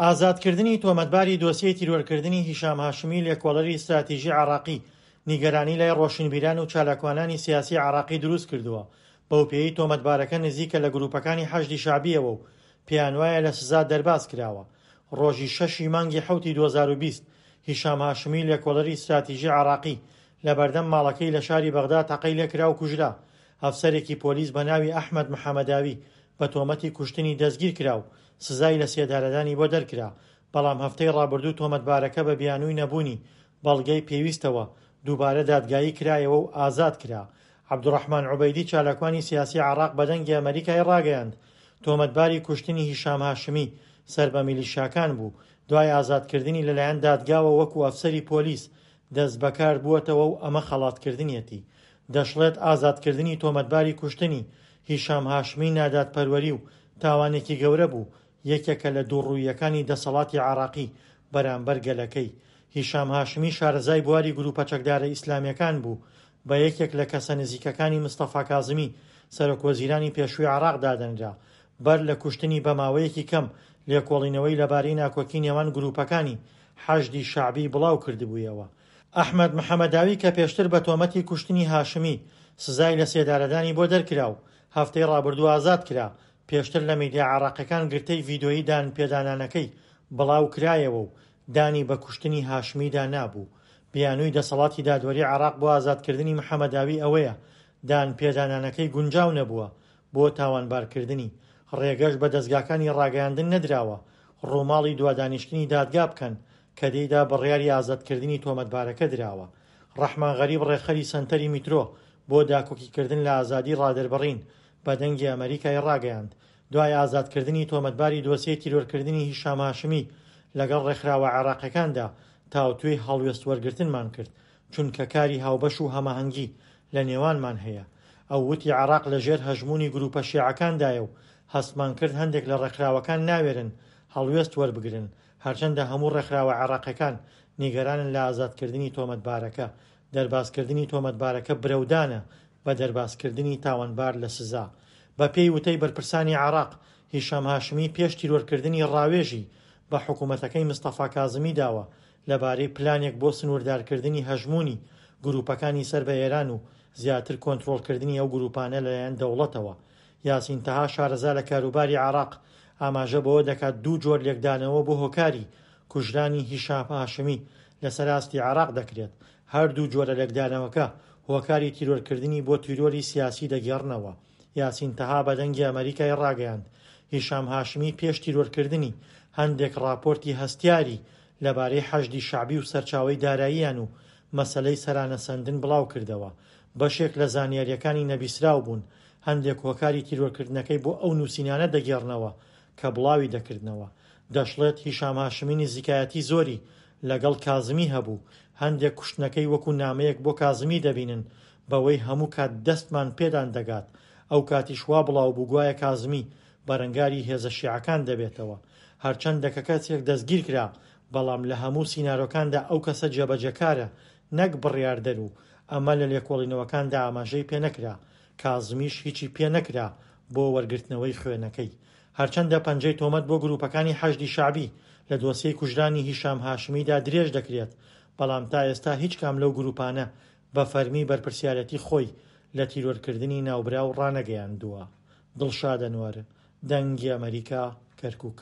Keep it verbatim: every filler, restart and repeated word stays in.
ئازادکردنی تۆمەتباری دۆسیەی تیرۆرکردنی هیشام هاشمی لێکۆڵەری ستراتیژی عێراقی نیگەرانی لای ڕۆشنبیران و چالاکوانانی سیاسی عێراقی دروست کردووە، بەو پێیەی تۆمەتبارەکە نزیکە لە گروپەکانی حەشدی شەعبیەوە و پێیان وایە لە سزا دەرباز کراوە. ڕۆژی شەشی مانگی حەوتی دوو هەزار و بیست هیشام هاشمی لێکۆڵەری ستراتیژی عێراقی لە بەردەم ماڵەکەی لە شاری بەغدا تەقەی لێکرا و کوژرا. ئەفسەرێکی پۆلیس بە ناوی ئەحمەد محەمەداوی بە تۆمەتی کوشتنی دەستگیر کرا و سزای لە سێدارەدانی بۆ دەرکرا، بەڵام هەفتەی ڕابردوو تۆمەتبارەکە بە بیانووی نەبوونی بەڵگەی پێویستەوە دووبارە دادگایی کرایەوە و ئازاد کرا. عەبدولڕەحمان عوبەیدی چالاکوانی سیاسی عێراق بە دەنگی ئەمەریکای ڕاگەیاند، تۆمەتباری کوشتنی هیشام هاشمی سەر بە میلیشیاکان بوو، دوای ئازادکردنی لەلایەن دادگاوە وەکو ئەفسەری پۆلیس دەستبەکار بووەتەوە و ئەمە خەڵاتکردنیەتی. دەشڵێت ئازادکردنی تۆمەتباری کوشتنی هیشام هاشمی نادادپەروەری و تاوانێکی گەورە بوو، یەکێکە لە دووڕووییەکانی دەسەڵاتی عێراقی بەرامبەر گەلەکەی. هیشام هاشمی شارەزای بواری گروپە چەکدارە ئیسلامیەکان بوو، بە یەکێک لە کەسە نزیکەکانی مستەفا کازمی سەرۆک وەزیرانی پێشووی عێراق دادەنرا. بەر لە کوشتنی بە ماوەیەکی کەم لێکۆڵینەوەی لەبارەی ناکۆکی نێوان گروپەکانی حەشدی شەعبی بڵاو کردبوویەوە. ئەحمەد محەمەداوی کە پێشتر بە تۆمەتی کوشتنی هاشمی سزای لە سێدارەدانی بۆ دەرکرا و هەفتەی ڕابردوو ئازاد کرا، پێشتر لە میدیا عێراقیەکان گرتەی ڤیدۆیی دان پێدانانەکەی بڵاو کرایەوە و دانی بە کوشتنی هاشمیدا نابوو. بیانووی دەسەڵاتی دادوەری عێراق بۆ ئازادکردنی محەمەداوی ئەوەیە دان پێدانانەکەی گونجاو نەبووە بۆ تاوانبارکردنی، ڕێگەش بە دەزگاکانی ڕاگەیاندن نەدراوە ڕووماڵی دوادانیشتنی دادگا بکەن کە تێیدا بڕیاری ئازادکردنی تۆمەتبارەکە دراوە. ڕەحمان غەریب ڕێکخەری سەنتەری میترۆ بۆ داکۆکیکردن لە ئازادی ڕادەربڕین بە دەنگی ئەمەریکای ڕاگەیاند، دوای ئازادکردنی تۆمەتباری دۆسیەی تیرۆرکردنی هیشام هاشمی لەگەڵ ڕێکخراوە عێراقیەکاندا تاوتوێی هەڵوێست وەرگرتنمان کرد، چونکە کاری هاوبەش و هەماهەنگی لە نێوانمان هەیە. ئەو وتی عێراق لەژێر هەژموونی گروپە شیعەکاندایە و هەستمان کرد هەندێک لە ڕێکخراوەکان ناوێرن هەڵوێست وەربگرن، هەرچەندە هەموو ڕێکخراوە عێراقیەکان نیگەرانن لە ئازادکردنی تۆمەتبارەکە. دەربازکردنی تۆمەتبارەکە برەودانە بە دەربازکردنی تاوانبار لە سزا. بە پێی وتەی بەرپرسانی عێراق، هیشام هاشمی پێش تیرۆرکردنی ڕاوێژی بە حکوومەتەکەی مستەفا کازمی داوە لەبارەی پلانێک بۆ سنووردارکردنی هەژموونی گروپەکانی سەر بە ئێران و زیاتر کۆنترۆڵکردنی ئەو گروپانە لەلایەن دەوڵەتەوە. یاسین تەها شارەزا لە کاروباری عێراق ئاماژە بەوە دەکات دوو جۆر لێکدانەوە بۆ هۆکاری کوژرانی هیشام هاشمی لەسەر ئاستی عێراق دەکرێت. هەردوو جۆرە لێکدانەوەکە هۆکاری تیرۆرکردنی بۆ تیرۆری سیاسی دەگێڕنەوە. یاسین تەها بە دەنگی ئەمەریکای ڕاگەیاند، هیشام هاشمی پێش تیرۆرکردنی هەندێک ڕاپۆرتی هەستیاری لەبارەی حەشدی شەعبی و سەرچاوەی داراییان و مەسەلەی سەرانەسەندن بڵاو کردەوە. بەشێک لە زانیاریەکانی نەبیسراو بوون، هەندێک هۆکاری تیرۆرکردنەکەی بۆ ئەو نووسینانە دەگێڕنەوە کە بڵاوی دەکردنەوە. دەشڵێت هیشام هاشمی نزیکایەتی زۆری لەگەڵ کازمی هەبوو، هەندێک کوشتنەکەی وەکو نامەیەک بۆ کازمی دەبینن بەوەی هەموو کات دەستمان پێدان دەگات. ئەو کاتیش وا بڵاو بوو گوایە کازمی بەرەنگاری هێزە شیعەکان دەبێتەوە. هەرچەندە کە کەسێک دەستگیر کرا، بەڵام لە هەموو سینارۆکاندا ئەو کەسە جێبەجێکارە نەک بڕیاردەر و ئەمە لە لێکۆڵینەوەکاندا ئاماژەی پێنەکرا. کازمیش هیچی پێنەکرا بۆ وەرگرتنەوەی خوێنەکەی. هەرچەندە پەنجەی تۆمەت بۆ گروپەکانی حەشدی شەعبی لە دۆسیەی کوژرانی هیشام هاشمیدا درێژ دەکرێت، بەڵام تا ئێستا هیچ کام لەو گروپانە بە فەرمی بەرپرسیارەتی خۆی لە تیرۆرکردنی ناوبراو ڕانەگەیاندووە. دڵشاد ئەنوەر، دەنگی ئەمەریکا، کەرکوک.